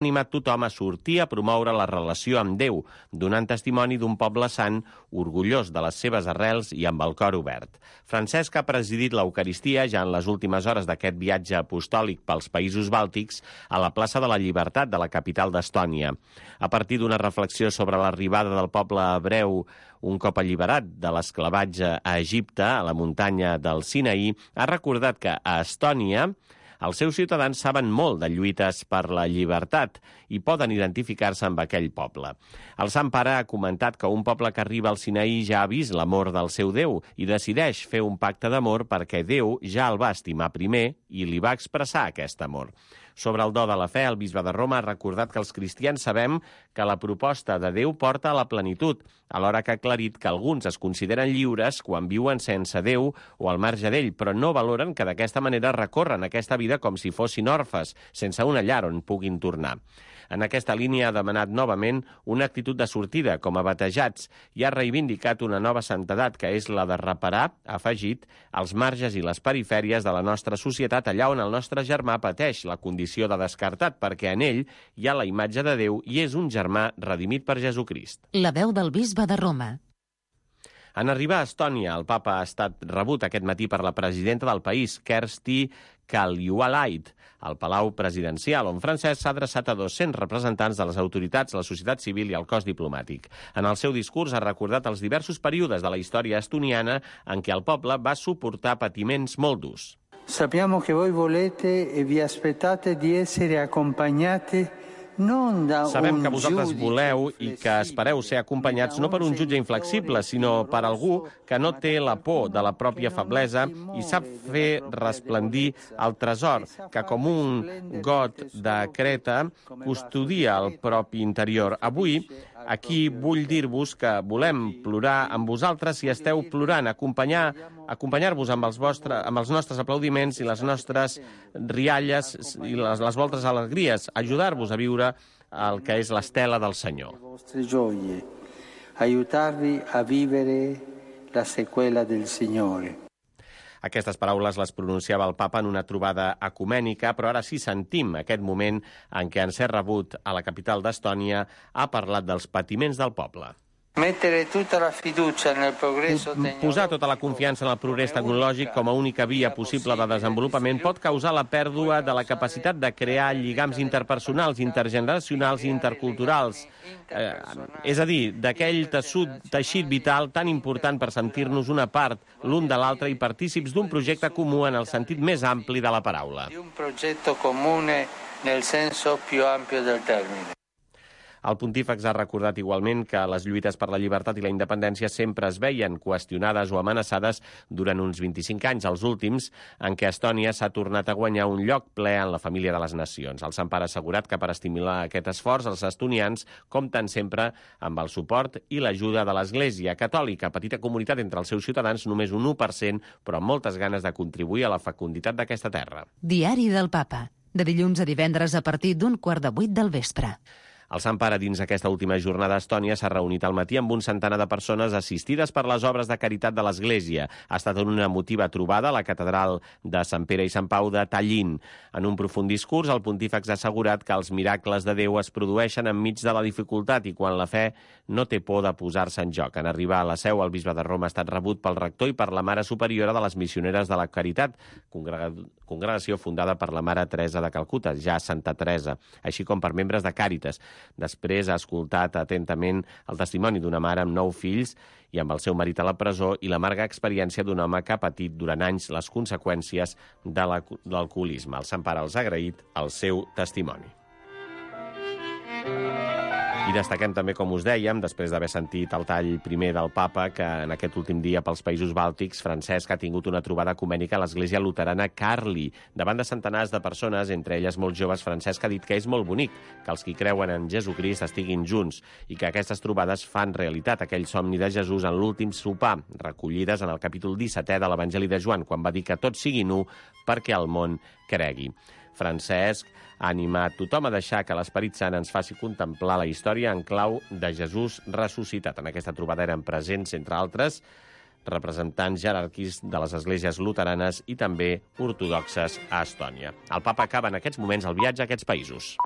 animat tothom a sortir a promoure la relació amb Déu, donant testimoni d'un poble sant, orgullós de les seves arrels i amb el cor obert. Francesc ha presidit l'Eucaristia ja en les últimes hores d'aquest viatge apostòlic pels països bàltics a la plaça de la Llibertat de la capital d'Estònia. A partir d'una reflexió sobre l'arribada del poble hebreu un cop alliberat de l'esclavatge a Egipte, a la muntanya del Sinaí, ha recordat que a Estònia els seus ciutadans saben molt de lluites per la llibertat i poden identificar-se amb aquell poble. El Sant Pare ha comentat que un poble que arriba al Sinaí ja ha vist l'amor del seu Déu i decideix fer un pacte d'amor perquè Déu ja el va estimar primer i li va expressar aquest amor. Sobre el do de la fe, el bisbe de Roma ha recordat que els cristians sabem que la proposta de Déu porta a la plenitud, alhora que ha aclarit que alguns es consideren lliures quan viuen sense Déu o al marge d'ell, però no valoren que d'aquesta manera recorren aquesta vida com si fossin orfes, sense una llar on puguin tornar. En aquesta línia ha demanat novament una actitud de sortida com a batejats i ha reivindicat una nova santedat, que és la de reparar, ha afegit, els marges i les perifèries de la nostra societat allà on el nostre germà pateix la condició de descartat, perquè en ell hi ha la imatge de Déu i és un germà redimit per Jesucrist. La veu del bisbe de Roma. En arribar a Estònia, el papa ha estat rebut aquest matí per la presidenta del país, Kersti Kaljulaid, al Palau Presidencial, on Francesc s'ha adreçat a 200 representants de les autoritats, la societat civil i el cos diplomàtic. En el seu discurs ha recordat els diversos períodes de la història estoniana en què el poble va suportar patiments molt durs. Sappiamo che voi volete e vi aspettate di essere accompagnati. Sabem que vosaltres voleu i que espereu ser acompanyats no per un jutge inflexible, sinó per algú que no té la por de la pròpia feblesa i sap fer resplendir el tresor, que com un got de Creta custodia el propi interior. Avui, aquí vull dir-vos que volem plorar amb vosaltres si esteu plorant, acompanyar-vos amb els nostres aplaudiments i les nostres rialles i les vostres alegries, ajudar-vos a viure el que és l'estela del Senyor. Aiutar-vi a vivere la seqüela del Signore. Aquestes paraules les pronunciava el papa en una trobada ecumènica, però ara sí sentim aquest moment en què en ser rebut a la capital d'Estònia ha parlat dels patiments del poble. Posar tota la confiança en el progrés tecnològic com a única via possible de desenvolupament pot causar la pèrdua de la capacitat de crear lligams interpersonals, intergeneracionals i interculturals. És a dir, d'aquell teixit vital tan important per sentir-nos una part l'un de l'altre i partícips d'un projecte comú en el sentit més ampli de la paraula. Un projecte comune nel senso più ampio del termine. El pontífex ha recordat igualment que les lluites per la llibertat i la independència sempre es veien qüestionades o amenaçades durant uns 25 anys, els últims, en què Estònia s'ha tornat a guanyar un lloc ple en la família de les nacions. El Sant Pare ha assegurat que per estimular aquest esforç els estonians compten sempre amb el suport i l'ajuda de l'Església Catòlica, petita comunitat entre els seus ciutadans, només un 1%, però amb moltes ganes de contribuir a la fecunditat d'aquesta terra. Diari del Papa, de dilluns a divendres a partir d'un 7:15 del vespre. El Sant Pare, dins aquesta última jornada a Estònia, s'ha reunit al matí amb un centenar de persones assistides per les obres de caritat de l'Església. Ha estat una emotiva trobada a la catedral de Sant Pere i Sant Pau de Tallinn. En un profund discurs, el pontífex ha assegurat que els miracles de Déu es produeixen enmig de la dificultat i quan la fe no té por de posar-se en joc. En arribar a la seu, el bisbe de Roma ha estat rebut pel rector i per la mare superiora de les missioneres de la Caritat, congregació fundada per la mare Teresa de Calcuta, ja Santa Teresa, així com per membres de Càritas. Després ha escoltat atentament el testimoni d'una mare amb 9 fills i amb el seu marit a la presó i l'amarga experiència d'un home que ha patit durant anys les conseqüències de l'alcoholisme. El Sant Pare els ha agraït el seu testimoni. I destaquem també, com us dèiem, després d'haver sentit el tall primer del papa, que en aquest últim dia pels països bàltics, Francesc ha tingut una trobada ecumènica a l'església luterana Karli. Davant de centenars de persones, entre elles molt joves, Francesc ha dit que és molt bonic que els qui creuen en Jesucrist estiguin junts i que aquestes trobades fan realitat aquell somni de Jesús en l'últim sopar, recollides en el capítol 17è de l'Evangeli de Joan, quan va dir que tots siguin u perquè el món cregui. Francesc ha animat tothom a deixar que l'Esperit Sant ens faci contemplar la història en clau de Jesús ressuscitat. En aquesta trobada eren presents, entre altres, representants jeràrquics de les esglésies luteranes i també ortodoxes a Estònia. El papa acaba en aquests moments el viatge a aquests països.